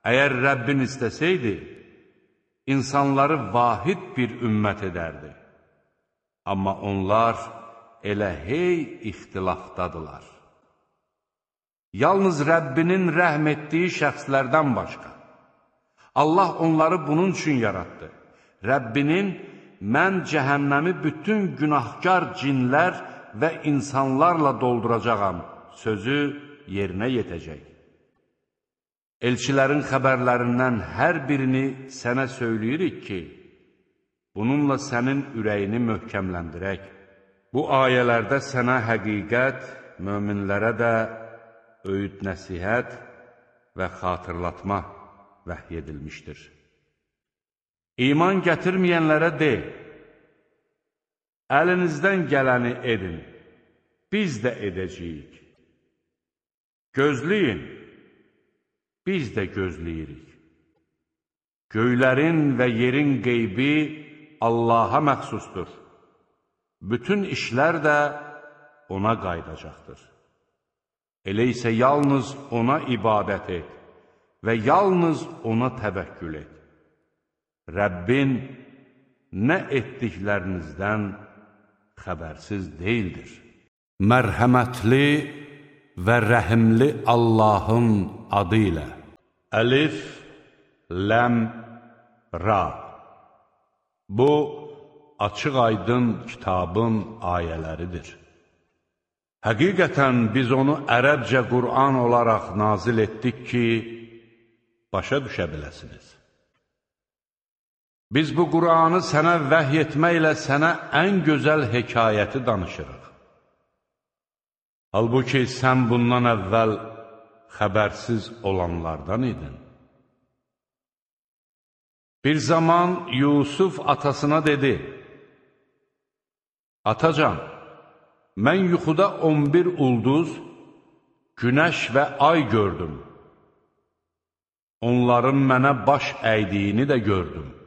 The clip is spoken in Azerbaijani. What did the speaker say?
Əgər Rəbbin istəsəydi, insanları vahid bir ümmət edərdi. Amma onlar elə hey ixtilafdadılar. Yalnız Rəbbinin rəhm etdiyi şəxslərdən başqa. Allah onları bunun üçün yaratdı. Rəbbinin, mən cəhənnəmi bütün günahkar cinlər və insanlarla dolduracağam sözü yerinə yetəcək. Elçilərin xəbərlərindən hər birini sənə söyləyirik ki, bununla sənin ürəyini möhkəmləndirək. Bu ayələrdə sənə həqiqət, möminlərə də öyüd nəsihət və xatırlatma vəhy edilmişdir. İman gətirməyənlərə de, əlinizdən gələni edin, biz də edəcəyik. Gözləyin, biz də gözləyirik. Göylərin və yerin qeybi Allaha məxsusdur. Bütün işlər də ona qaydacaqdır. Elə isə yalnız ona ibadət et və yalnız ona təvəkkül et. Rəbbin nə etdiklərinizdən xəbərsiz deyildir. Mərhəmətli və rəhimli Allahın adı ilə. Əlif, ləm, ra. Bu, açıq-aydın kitabın ayələridir. Həqiqətən biz onu ərəbcə Qur'an olaraq nazil etdik ki, başa düşə biləsiniz. Biz bu Qur'anı sənə vəhy etməklə sənə ən gözəl hekayəti danışırıq. Halbuki sən bundan əvvəl xəbərsiz olanlardan idin. Bir zaman Yusuf atasına dedi, Atacan, mən yuxuda 11 ulduz, günəş və ay gördüm. Onların mənə baş əydiyini də gördüm.